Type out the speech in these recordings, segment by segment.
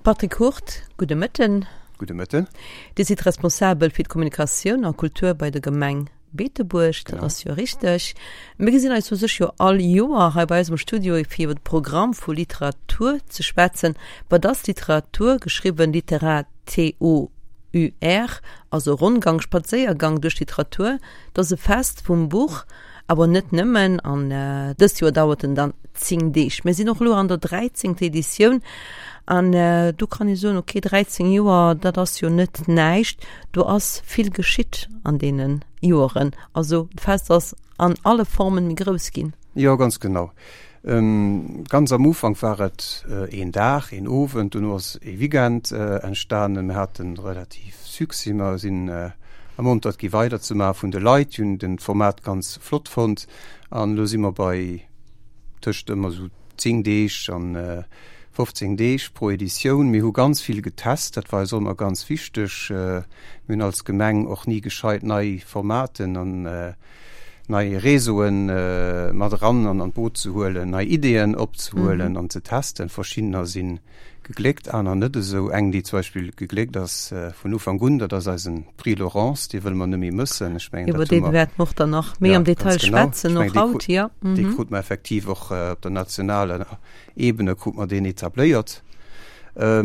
Patrick Hurt, gudde Mëtten. Gudde Mëtten. Dir sidd responsabel fir d'Kommunikatioun a Kultur bei der Gemeng Beetebuerg, dat ass jo richteg. Mir gesinn eis u sech jo all Joer hei bei eis am Studio fir iwwer de Programm vu Literatur ze schwätzen. Wat ass Literatur, geschriwwen Litera-T-O-U-R, also Ronngang, Spadséiergang duerch d'Literatur. Dat ass e Fest vum Buch, awer net nëmmen. An dëst Joer dauert en dann 10 Deeg. Mir sinn och elo an der dräizéngter Editioun an do kann ee soen, okay, 13 Joer, dat ass jo net näischt. Do ass vill geschitt an deene Joeren. Also d'Fest ass an alle Formen méi grouss ginn. Jo, ganz genau. Ganz am Ufank war et een Dag, een Owend, dono ass ee Weekend entstanen. Mir hate relativ Succès, mer sinn ermontert gi weiderzemaachen vun de Leit, déi hunn den Format ganz flott fonnt. An elo si mer bei tëscht ëmmer esou 10 Deeg an 15 Deeg pro Editioun. Mir hu ganz vill getest, dat war eis och ëmmer ganz wichteg. Mir hunn als Gemeng och ni gescheit nei Formaten an nei Réseauen mat eran an an d'Boot ze huelen, nei Ideeën opzehuelen an ze testen. Verschiddener si gegléckt, aner net esou. Eng, déi zum Beispill gegléckt ass vun Ufank un, dat ass eisen Prix Laurence, dee wëlle mer net méi mëssen. Ech mengen, dat hu mer. Iwwer dee wäerte mer och dann nach méi am Detail schwätzen, och haut, jo. Dee krute mer effektiv och op der nationaler Ebene krute mer deen etabléiert. A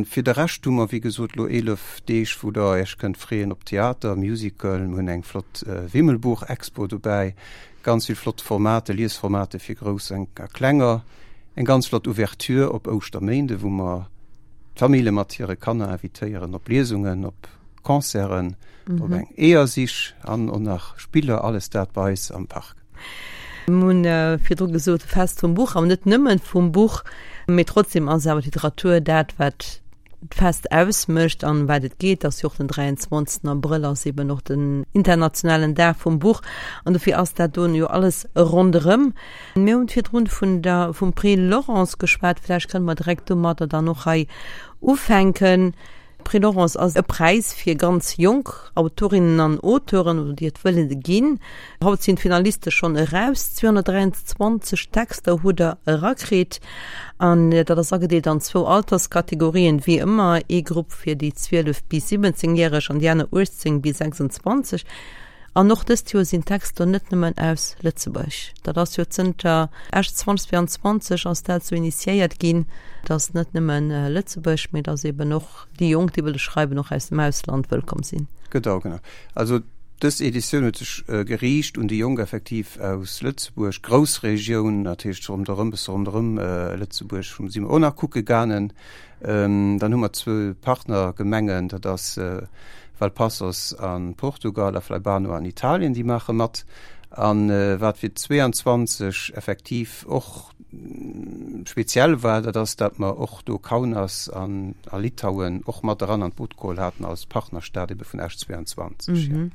fir de Rescht hu mer, wéi gesot, elo 11 Deeg, wou Der Iech kënnt freeën op Theater, Musical. Mir hunn eng flott Wimmelbuch-Expo dobäi, ganz vill flott Formate, Liesformate fir Grouss a Klenger. Eng ganz flott Ouverture op Ouschterméinde, wou mer d'Famille mat hire Kanner invitéieren op Liesungen, op Concerten, op eng Eeërsich an och nach Spiller, alles dat bei eis am Park. Mir hunn virdru gesot, Fest vum Buch, awer net nëmmen vum Buch, mee trotzdem ass awer d'Literatur dat, wat d'Fest ausmécht an wat et geet. Ass jo och den 23. Abrëll ass eben och den internationalen Dag vum Buch an dofir ass dat do jo alles ronderëm. Mir hunn virdrun vun der, vum Prix Laurence geschwat, vläicht kënne mer direkt domadder dann och hei ufänken. Prix Laurence ass e Präis fir ganz jonk Autorinnen an Auteuren, oder déi et wëlle ginn. Haut sinn d'Finaliste schonn eraus. 223 Texter hutt der erakritt an dat ass agedeelt an zwou Alterskategorien, wéi ëmmer, ee Grupp fir déi 12 bis 17 Järeg an déi aner 18 bis 26. An och dëst Joer sinn d'Texter net nëmmen aus Lëtzebuerg. Dat ass jo zënter Esch 2022 ass dat esou initiéiert ginn, datt net nëmmen Lëtzebuerg, mee datt eben och déi Jonk, déi wëlle schreiwen, och aus dem Ausland wëllkomm sinn. Genau, genau. Also dës Editioun huet sech geriicht un déi Jonk effektiv aus Lëtzebuerg, Groussregioun, dat heescht ronderëm, bësse ronderëm Lëtzebuerg si mer och nach kucke gaangen. Dann hu mer zwou Partnergemengen, dat ass Valpaços a Portugal a Flaibano an Italien, déi maache mat. A wat fir 22 effektiv och speziell war, dat ass, datt mer och do Kaunas an a Litauen och mat eran an d'Boot geholl haten als Partnerstad ebe vun Esch 22.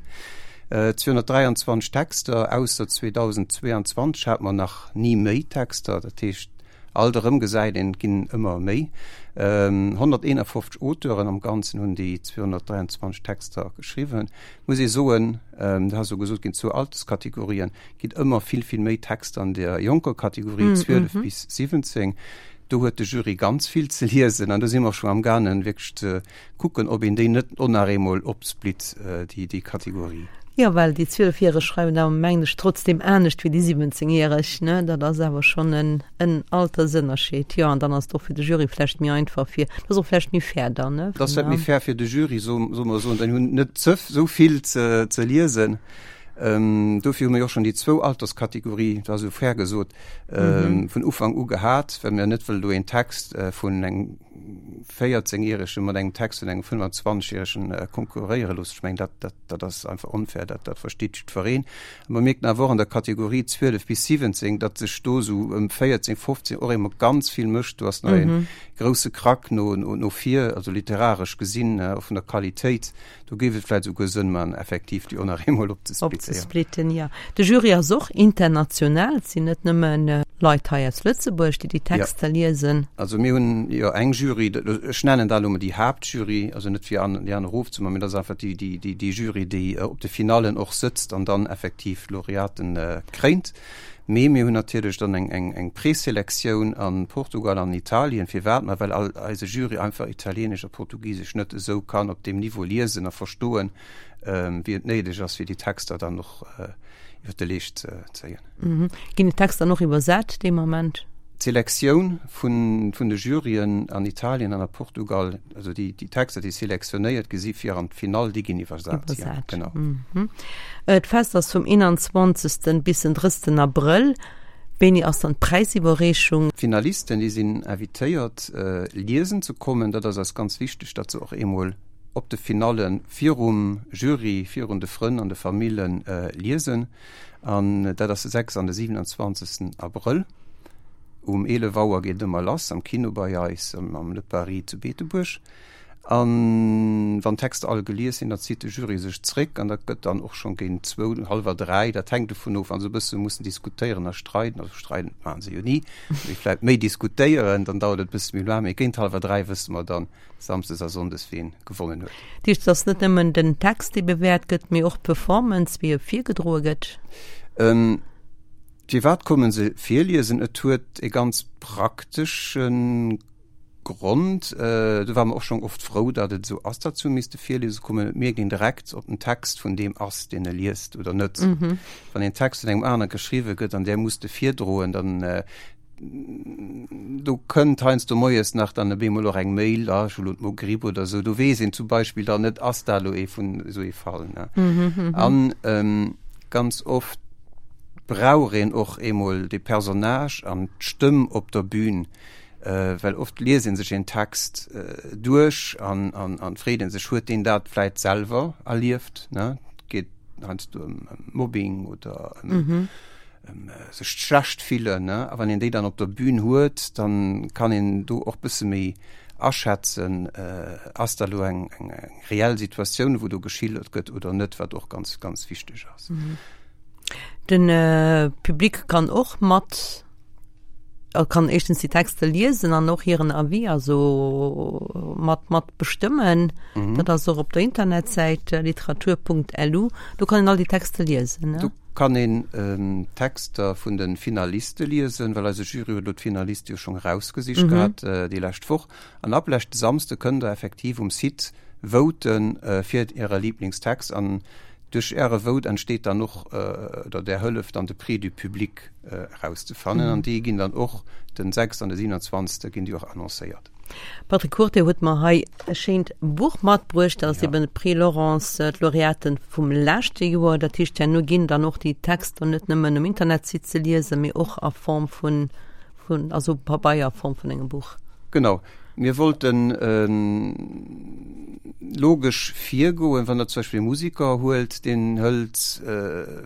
223 Texter, ausser 2022 hate mer nach ni méi Texter, dat heescht, Alt erëm gesäit een, et ginn ëmmer méi. 151 Auteuren am Ganzen hunn déi 223 Texter geschriwwen. Muss ee soen, dat ass elo gesot ginn, zwou Alterskategorien, et ginn ëmmer vill, vill méi Texter an der jonker Kategorie, 12 bis 17. Do huet de Jury ganz vill ze liesen an do si mer scho amgaangen, wierklech ze kucken, ob een déi net och nach eemol opsplitt, déi, déi Kategorie. Jo, well déi Zwielefjäreg schreiwen awer, mengen ech, trotzdem anescht wéi déi Siwwenzéngjäreg, ne? Dat ass awer schonn en, en Altersënnerscheed. Jo, an dann ass et och fir de Jury vlächtt méi einfach fir, dat ass och vlächtt méi fair dann, ne? Dat ass vlächtt méi fair fir de Jury, soe mer esou, dann hunn net ze, esou vill ze, ze liesen. Dofir hu mir jo och schonn déi zwou Alterskategorie, dat ass esou fair gesot, vun Ufank u gehat, well mir net wëllen do een Text vun engem 14 järege mat engem Text vun engem 25 järegen konkurréiere loossen. Ech mengen, dat, dat, dat ass einfach onfair, dat, dat versteet jiddwereen. A mer mierken awer och an der Kategorie 12 bis 17, datt sech do esou ëm 14, 15 och emol ganz vill mécht. Do ass nach e grousse Krack no, no, no vir, also literaresch gesinn, och vun der Qualitéit. Do géif et vläicht esouguer Sënn man, effektiv déi och nach eemol opzesplitten. Opzesplitten, jo. De Jury ass och international, et sinn net nëmme Leit hei aus Lëtzebuerg, déi déi Texter liesen. Also mir hunn jo eng Jury, ech nennen dat elo mol déi Haaptjury, also net fir déi aner erofzemaachen, mee dat ass einfach déi, déi, déi, déi Jury, déi op de Finallen och sëtzt an dann effektiv d'Laureaten kréint. Mee mir hunn natierlech dann eng, eng, eng Preselektioun a Portugal an Italien. Firwat? Ma well all eise Jury einfach Italieenesch a Portugisesch net esou kann op deem Niveau liesen a verstoen, wéi et néideg ass, fir déi Texter dann och iwwer de Leescht ze zéien. Ginn déi Texter dann och iwwersat dee Moment? D'Selektioun vun, vun de Juryen an Italien an a Portugal, also déi, déi Texter, déi selektionéiert gi si fir an d'Finall, déi ginn iwwersat, jo, Iwwersat. genau. D'Fest ass vum 21. Bis den 30. Abrëll. Wéini ass dann d'Präisiwwerreechung? D'Finalisten, déi sinn invitéiert, liesen ze kommen. Dat ass eis ganz wichteg, datt se och eemol op de Finalle virum Jury, virun de Frënn an de Famille liesen. An dat ass de 6 an de 27. Abrëll. Um 11 Auer geet et ëmmer lass am Kino bei eis am Le Paris zu Beetebuerg. An wann d'Texter all gelies sinn, da zitt de Jury sech zréck an dat gëtt dann och schonn géint zwou, hallwer dräi, dat hänkt dovun of, wa se e bësse mussen diskutéieren a streiden, also streiden maache se jo ni, mee vläicht méi diskutéieren, dann dauert et e bësse méi laang, mee géint hallwer dräi wësse mer dann samsdes a sonndes, wien gewonnen huet. Dat heescht, et ass net nëmmen den Text, dee bewäert gëtt, mee och d'Performance, wéi e virgedroe gëtt? Firwat kommen se virliesen? Et huet e ganz praktesche Grond. Do ware mer och schonn oft frou, datt et esou ass, datt se hu misste virliese kommen. Et mierkt een direkt, ob den Text vun deem ass, deen e liest oder net. Wann een Text vun engem anere geschriwwe gëtt an där muss de virdroen, dann do kënnt heiansdo moies nach dann op eemol och eng Mail, ah ech hu lo d'Mogripp oder esou. Do weess een zum Beispill dann net, ass dat elo ee vun esou ee Fall, ne? An ganz oft brauch een och eemol de Personnage an d'Stëmm op der Bühn, well oft liest ee sech een Text duerch an an freet ee sech, huet deen dat vläit selwer erlieft, ne? Et geet heiansdo ëm Mobbing oder ëm sech schlecht fillen, ne? A wann een déi dann op der Bühn huet, dann kann een do och bësse méi aschätzen, ass dat elo eng eng reell Situatioun, wou do geschildert gëtt oder net, wat och ganz, ganz wichteg ass. Den Public kann och mat, kann éischtens déi Texter liesen an och hiren Avis also mat mat bestëmmen. Dat ass och op der Internetsäit literatur.lu, do kann een all déi Texter liesen, ne? Do kann een d'Texter vun de Finaliste liesen, well eise Jury huet elo d'Finaliste jo schonn erausgesicht gehat déi lescht Woch. An ab leschte Samsde kënnt der effektiv um Site voten fir äre Liblingstext an duerch äre Vote entsteet dann och, oder där hëlleft dann de Prix du Public erauszefannen an déi ginn dann och den 6 an de 27 ginn déi och annoncéiert. Patrick Hurte huet mer hei e schéint Buch matbruecht, dat ass eben de Prix Laurence, d'Laureaten vum leschte Joer. Dat heescht, herno ginn dann och déi Texter net nëmmen um Internetsite ze liesen, mee och a Form vun, vun, also Pabeier, a Form vun engem Buch. Genau. Mir wollten logesch virgoen, wann Der zum Beispill e Musiker huelt, deen hëlt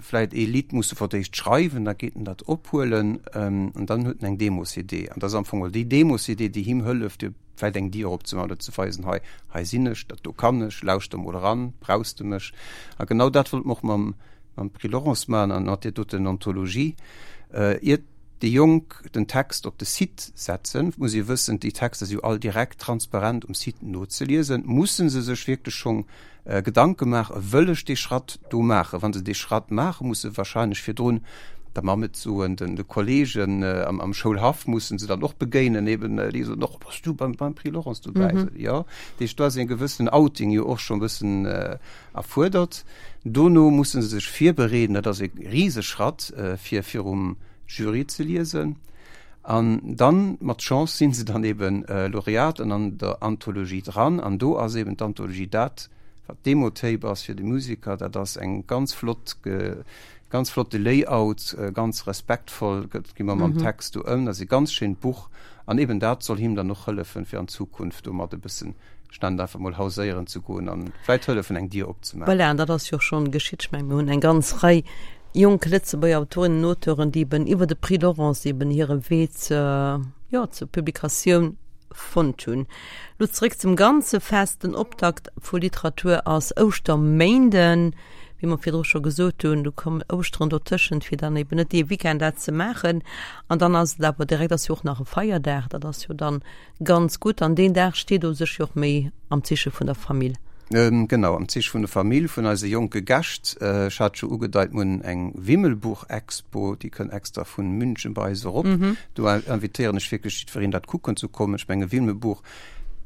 vläit ee Lidd, muss e fir d'éischt schreiwen, da geet en dat ophuelen an dann huet en eng Demo-CD. An dat ass am Fong geholl déi Demo-CD, déi him hëlleft, fir vläit eng Dier opzemaachen oder ze weisen, hei, hei sinn ech, dat do kann ech, lauschter mol eran, brauchs de mech? A genau dat wollte mer och mam, mam Prix Laurence maachen an mat där doten Anthologie. Iert déi Jonk den Text op de Site setzen, muss ee wëssen, déi Texter si jo all direkt transparent um Site nozeliesen, musse se sech wierklech schonn Gedanke maachen, wëll ech dee Schratt do maachen? Wa se dee Schratt maachen, musse se wahrscheinlech virdrun der Mamm et soen, den de Kollegen am Schoulhaff musse se dann och begéinen, eben déi soen och, bass du beim beim Prix Laurence dobäi? Mm -hmm. Jo, dat heescht, do ass e gewëssenen Outing jo och schonn e bëssen erfuerdert. Dono musse se sech virbereeden, dat ass e Riseschratt, fir virum Jury ze liesen. An dann, mat Chance, sinn se dann eben Laureat an an der Anthologie dran. An do ass eben d'Anthologie dat, wat d'Demo-Tape ass fir de Musiker. Dat ass eng ganz flott, ganz flotte Layout, ganz respektvoll gëtt, gi mer mam Text do ëm. Dat ass e ganz schéint Buch. An eben dat soll him dann och hëllefen, fir an Zukunft domat e bëssen ech nennen et einfach mol hauséieren ze goen an vläit hëllefen eng Dier opzemaachen. Voilà, an dat ass jo och schonn geschitt. Ech mengen, mir hunn eng ganz Rei jonk Lëtzebuerger Autorinnen an Auteuren, déi eben iwwer de Prix Laurence eben hire Wee zur, jo, zur Publikatioun fonnt hunn. Lo zeréck zum ganze Fest. Den Optakt vu Literatur ass Ouschterméinden, wéi mer virdru scho gesot hunn. Do kommen Ouschteren dotëschent, fir dann eben net dee Weekend dat ze maachen. An dann ass et awer direkt, ass jo och nach e Feierdag, dat ass jo dann Ganz gutt, an deen Dag steet u sech jo och méi am Zeeche vun der Famill. Genau, am Zeeche vun der Famill, vun eise jonke Gäscht. Ech hat scho ugedeit, mir hunn eng Wimmelbuch-Expo, déi kënnt extra vu München bei eis erop. Do invitéieren ech wierklech jiddwereen, dat kucken ze kommen. Ech menge Wimmelbuch,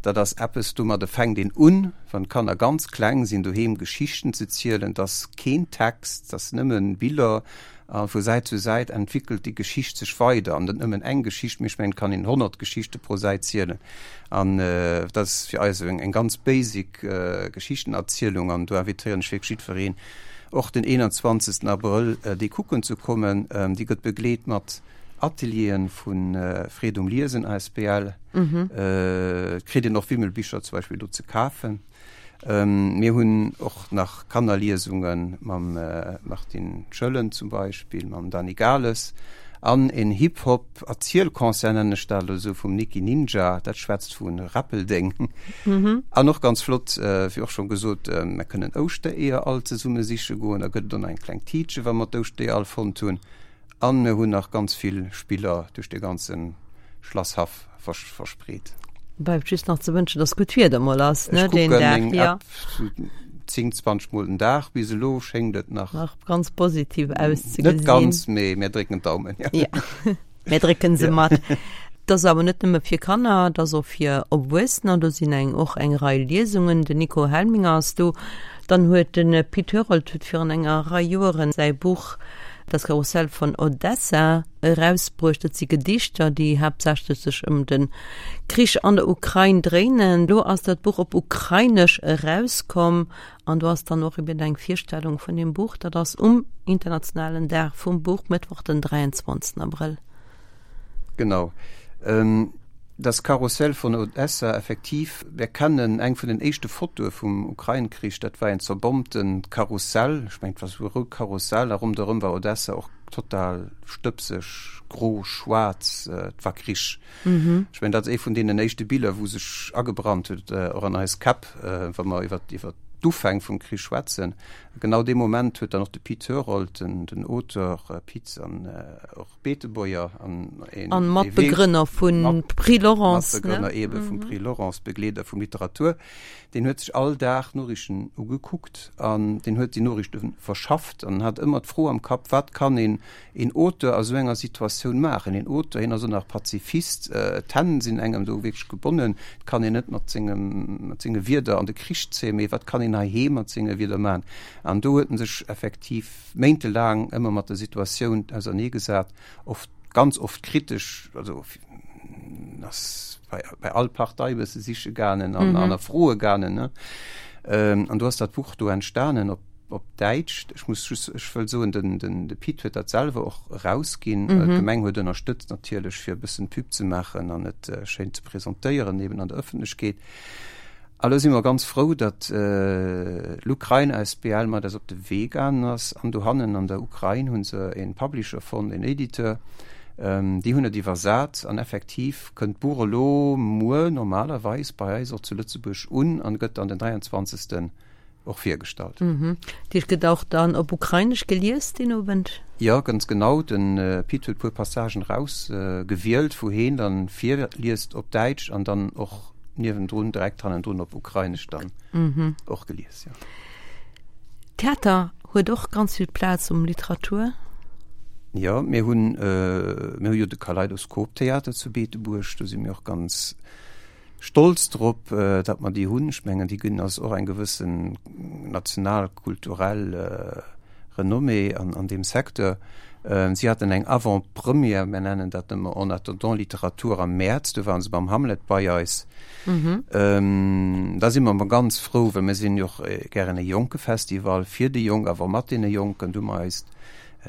dat ass eppes, domadde fänkt een un, wann d'Kanner ganz kleng sinn, doheem Geschichten ze zielen. Et ass keen Text, et ass nëmme Biller. A vu Säit zu Säit entwickelt déi Geschicht sech weider. An net nëmmen eng Geschicht, mee ech mengen, et kann een 100 Geschichte pro Säit zielen. An dat ass fir eis eng ganz basic Geschichtenerzielung. An do invitéieren ech wierklech jiddwereen, och den 21. Abrëll déi kucken ze kommen. Déi gëtt begleet mat Atelieren vu Freed um Liesen asbl. Et kritt een och Wimmelbicher zum Beispill do ze kafen. Mir hunn och nach Kannerliesunge mam Martine Schöllen zum Beispill, mam Dany Gales an en Hip-Hop-Erzielconcert, nennen ech dat elo esou, vum Nikki Ninja, dat schwätzt vu Räppeldeng. An och ganz flott, wéi och schonn gesot, mer kënnen Ouschtereeër all zesumme siche goen, da gëtt et och nach eng kleng Tiitche wa mer d'Ouschtereeër all fonnt hunn. An mir hunn nach ganz vill Spiller duerch de ganze Schlasshaff verspreet. Bleift just nach ze wënschen, dass gutt Wieder mol ass, ne, deen Dag. Ech kucken meng App sou 10, 20 mol den Dag. Bis elo schéngt et nach. Nach ganz positiv auszegesinn. Net ganz, mee mir drécken d'Daumen, jo. Ja, mir drécken se mat. Et ass awer net nëmme fir Kanner, et ass och fir Erwuessener. Do sinn eng och eng Rei Liesungen. Den Nico Helminger ass do. Dann huet de Pit Herold huet virun enger Rei Joeren säi Buch Das Karussell von Odessa erausbruecht. Dat si Gedichter, déi haaptsächlech sech ëm de Krich an der Ukrain dréinen. Lo ass dat Buch op Ukrainesch erauskomm an do ass dann och eben eng Virstellung vun deem Buch. Dat ass um internationalen Dag vum Buch, Mëttwoch den 23 Abrëll. Genau. Das Karussell von Odessa, effektiv, mir kennen eng vun den éischte Fotoe vum Ukrain-Krich, dat war een zerbombtent Karussell, ech mengen et war esou e rout Karussell, a ronderëm war Odessa och total stëbseg, gro, schwaarz, et war Krich. Ech mengen dat ass ee vun deenen éischte Biller, wou sech agebrannt huet, och an eis Käpp, wa mer iwwer iwwer d'Ufäng vum Krich schwätzen. A genau dee Moment huet dann och de Pit Herold, den Auteur Pit an och Beetebuerger an een An Matbegrënner vun Prix Laurence, ne? Matbegrënner eebe vum Prix Laurence, Begleeder vum Literatur. Deen huet sech all Dag Noriichten ugekuckt an deen huet déi Noriichte verschafft an hat ëmmer d'Fro am Kapp, Wat kann een, een Auteur a sou enger Situatioun maachen? Een Auteur, hien ass och nach Pazifist, d'Hänn sinn engem do wierklech gebonnen, et kann een net mat sengem, mat senge Wierder an de Krich zéien, mee wat kann een heiheem mat senge Wierder maachen? An do huet en sech effektiv méintelaang ëmmer mat der Situatioun auserneegesat, oft, ganz oft kritesch, also ass bei, bei all Partei e bësse siche gaangen an, mhm. an a Froe gaangen. Ne? Ähm, an du hast dat Buch do entstanen op, op Däitsch. Ech muss just, ech wëll soen, den, den, de Pit huet dat selwer och rausginn. Mhm. D'Gemeng huet ënnerstëtzt natierlech, fir e bëssen Pub ze maachen an et äh, schéin ze presentéieren, eben an der Ëffentlechkeet. A lo si mer ganz frou, datt l'Ukrain asbl mat eis op de Wee gaangen ass. An dohannen an der Ukrain hu se e Publisher fonnt, en Editeur. Déi hunn et iwwersat an effektiv kënnt d'Buch elo muer normalerweis bei eis och zu Lëtzebuerg un an gëtt dann den 23. och virgestallt. Dat heescht, gëtt och dann op Ukrainesch gelies deen Owend? Jo, ganz genau. De Pit huet e puer Passagen erausgewielt, wou heen dann virliest op Däitsch an dann och niewendrun, direkt hannendrun op Ukrainesch dann och gelies, jo. Theater huet och ganz vill Plaz um Literatur. Jo, mir hunn, mir hu jo de Kaleidoskop-Theater zu Beetebuerg, do si mir och ganz Stolz drop, datt mer déi hunn. Ech mengen, déi ginn eis och eng gewëssen national kulturell Renommée an deem Secteur. Si haten eng Avant-première, mir nennen dat ëmmer En attendant Literatur, am Mäerz, do ware se beim Hamlet bei eis. Da si mer ëmmer ganz frou, well mir sinn jo och gären e jonke Festival, fir déi Jonk, awer mat deene Jonken. Do hu mer eist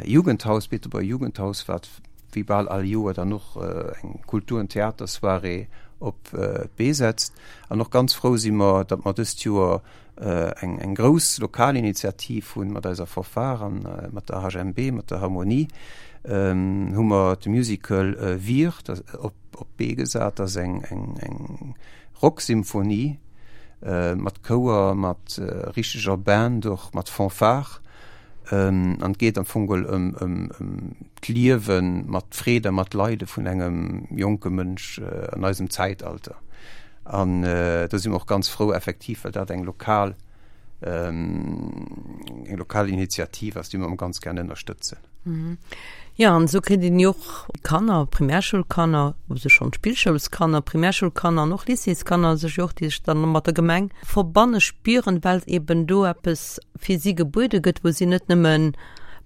Jugendhaus, Beetebuerger Jugendhaus, wat wéi bal all Joer dann och eng Kultur an Theatersoirée op d'Bee setzt. An och ganz frou si mer, datt mer dëst Joer eng eng grouss lokal Initiativ hunn mat eiser Fanfare an mat der HMB, mat der Harmonie, hu mer de Musical Wir op d'Bee gesat. Dat ass eng eng eng Rocksymphonie mat Chouer, mat richteger Band och, mat Fanfare. An et geet am Fong geholl ëm ëm ëm d'Liewe mat Freed a mat Leide vun engem jonke Mënsch an eisem Zäitalter. An do si mer och ganz frou effektiv, well dat eng lokal. Eng lokal Initiativ ass, déi mer ganz gern ënnerstëtzen. Jo, an esou kritt een jo och Kanner, Primärschoulkanner, u sech schonn Spillschoulskanner, Primärschoulkanner an och Lycéeskanner sech jo och, déi sech dann mat der Gemeng verbanne spieren, well eben do eppes fir si gebuede gëtt, wou si net nëmme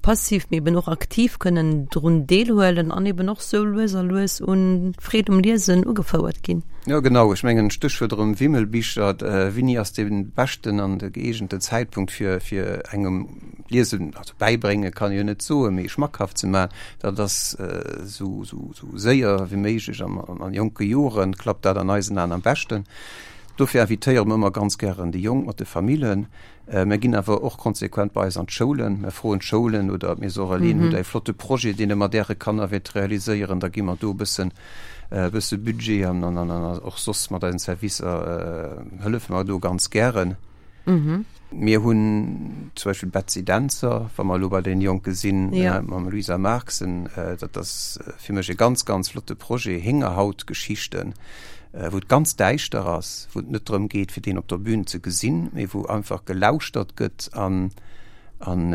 passiv, mee eben och aktiv kënnen drun deelhuelen an eben och sou lues a lues un d'Freed um Liesen ugefouert ginn. Jo, genau. Ech mengen, Stéchwuert erëm Wimmelbicher, Wéini ass dee beschten an de gëeegenten Zäitpunkt fir, fir engem Liesen, also bäibrénge kann ee jo net soen, mee schmackhaft ze maachen? Dat ass esou, esou, esou séier wéi méiglech an, an jonke Joren klappt dat an eisen Aen am beschten. Dofir invitéiere mer ëmmer ganz gären déi Jonk mat de Famillen. Mär ginn awer och konsequent bei eis an d'Schoulen. Mär froen d'Schoulen oder d'Maison Relais, Hutt Der e flotte Projet, deen Der mat Äre Kanner wéilt realiséieren? Da gi mer do e bëssen, e bësse Budget an, an, an och soss mat eisen Servicer hëllefe mer do ganz gären. Mir hunn zum Beispill d'Betsy Dentzer, wa mer elo bei deene Jonke sinn, mam Louisa Marxen, dat ass fir mech e ganz, ganz flotte Projet, Héngerhautgeschichten. wou et ganz däischter ass, wou et net drëm geet, fir deen op der Bühn ze gesinn, mee wou einfach gelauschtert gëtt an an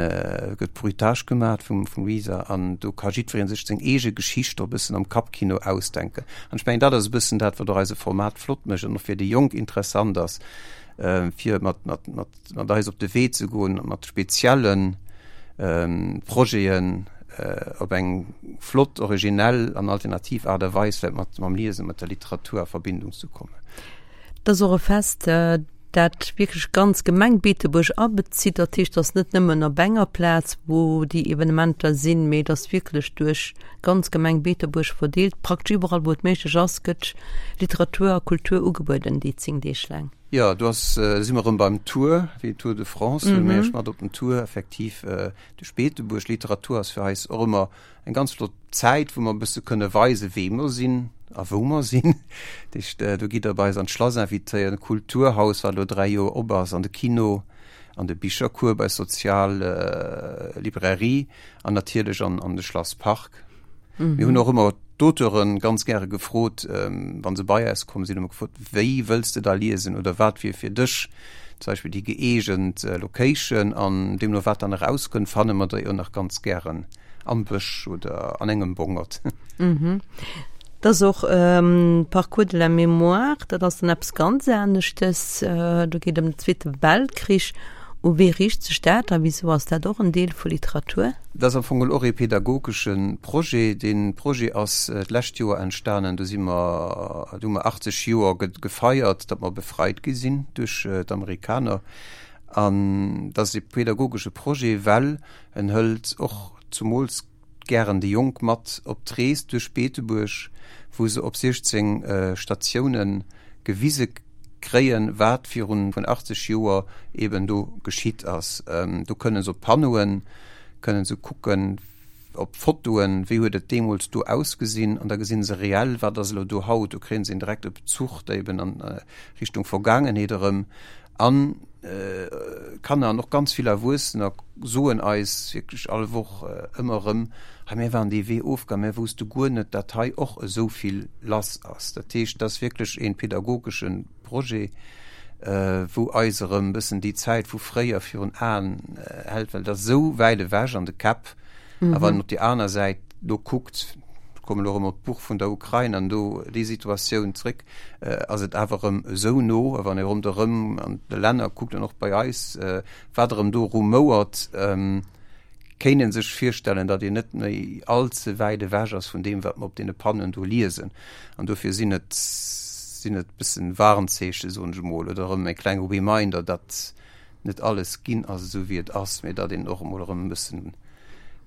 gëtt Bruitage gemat vum vum Luisa an do ka jiddweree sech seng eege Geschicht och e bëssen am Kappkino ausdenken. An ech mengen, dat ass e bëssen dat, wat och eise Format flott mécht an och fir déi Jonk interessant ass, fir mat mat mat mat eis op de Wee ze goen, mat spezielle Projeten op eng flott, originell an alternativ Aart a Weis vläicht mat mam Liesen, mat der Literatur a Verbindung ze kommen. Et ass och e Fest, dat wierklech d'ganz Gemeng Beetebuerg abezitt. Dat heescht, et ass net nëmmen op enger Plaz, wou déi Evenementer sinn, mee et ass wierklech duerch d'ganz Gemeng Beetebuerg verdeelt. Praktesch iwwerall, wou et méiglech ass, gëtt Literatur a Kultur ugebueden déi 10 Deeg laang. Jo, do ass, si mer erëm beim Tour, wéi Tour de France, huele mir Iech mat op den Tour, effektiv duerch Beetebuerg. Literatur ass fir eis och ëmmer eng ganz flott Zäit, wou mer e bësse kënne weisen, wee mer sinn a wou mer sinn. Dat heescht, do gitt Der bei eis an d'Schlass invitéiert, an d'Kulturhaus, wat elo 3 Joer op ass, an de Kino, an de Bichercours bei Sozial Librairie an natierlech an de Schlasspark. Mir hunn och ëmmer d'Auteuren ganz gäre gefrot, wa se bei eis komm sinn, hu mer gefrot, Wéi wëlls de da liesen oder wat wier fir dech zum Beispill déi gëeegent Location? An deemno wat dann erauskënnt, fanne mer der jo nach ganz gären am Bësch oder an engem Bongert. Et ass och Parcours de la mémoire, dat ass dann eppes ganz aneschtes. Do geet et ëm den Zweete Weltkrich. U wee riicht sech dat a wisou ass dat och en Deel vu Literatur? Dat ass am Fong och ee pedagogesche Projet. Dee Projet ass d'lescht Joer entstanen. Do si mer, do hu mer 80 Joer gefeiert, datt mer befreit gi sinn duerch d'Amerikaner. An dat ass ee pedagogesche Projet, well en hëlt och zumools gären déi Jonk mat op d'Rees duerch Beetebuerg, wou se op 16 Statioune gewise kréien, wat virun 80 Joer eben do geschitt ass. Do kënne se op Panneauen, kënne se kucken, op Fotoen, wéi huet et deemools do ausgesinn, an da gesinn se reell, wat ass elo do haut. Do kréien se en direkte Bezuch da eben an Richtung Vergaangenheet erëm. An Kanner an och ganz vill Erwuessener soen eis wierklech all Woch ëmmer erëm, Hei mir waren dee Wee ofgaang, mir wousste guer net, datt hei och esou vill lass ass. Dat heescht, et ass wierklech ee pedagogesche Projet, wou eis erëm e bëssen déi Zäit vu fréier virun Aen hält, well et ass esou wäit ewech an de Käpp. A wann een op déi aner Säit do kuckt, ech kommen elo erëm op d'Buch vun der Ukrain an do déi Situatioun zréck, ass et awer erëm esou no. A wann ee ronderëm an de Länner kuckt an och bei eis, wat erëm do rumouert, kéint ee sech virstellen, datt een net méi all ze wäit ewech ass vun deem, wat mer op deene Panneauen do liesen. An dofir sinn et, sinn et e bëssen Warnzeechen, soen ech emol, oder erëm e klenge Reminder, datt net alles ginn ass esou wéi et ass, mee datt een och emol erëm e bëssen,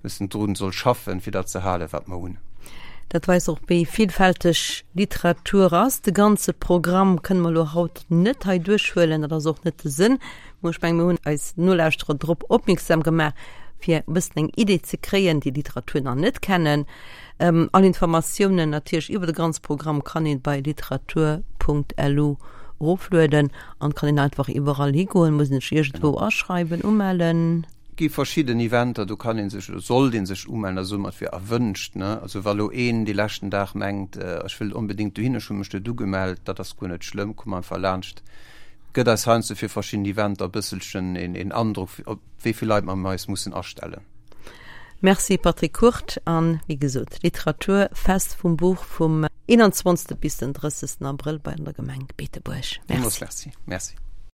bëssen drun soll schaffen, fir dat ze halen, wat mer hunn. Dat weist och, wéi villfälteg Literatur ass. De ganze Programm kënne mer elo haut net hei duerchhuelen, dat ass och net de Sënn. Mä ech menge mir hunn eis Nolauschterer drop opmierksam gemaach, fir e bëssen eng Idee ze kréien, déi Literatur nach net kennen. All Informatiounen natierlech iwwer de ganze Programm kann een bei literatur.lu eroflueden an kann een einfach iwwerall higoen, muss een sech iergendwou aschreiwen, umellen? Gi verschidden Eventer, do kann een sech oder sollt een sech umellen, da soe mer et wier erwënscht, ne. Also wa lo een dee leschten Dag mengt, ech wëll onbedéngt dohin, ech hu mech net ugemellt, dat ass guer net schlëmm, komm einfach laanscht. Gëtt eis heiansdo fir verschidden Eventer e bësselchen een Androck, op wéi vill Leit mer eis mussen astellen. Merci Patrick Kurt. An wéi gesot, Literaturfest vum Buch vum 21. bis den 30. Abrëll bei an der Gemeng Beetebuerg. Merci. Merci. Merci.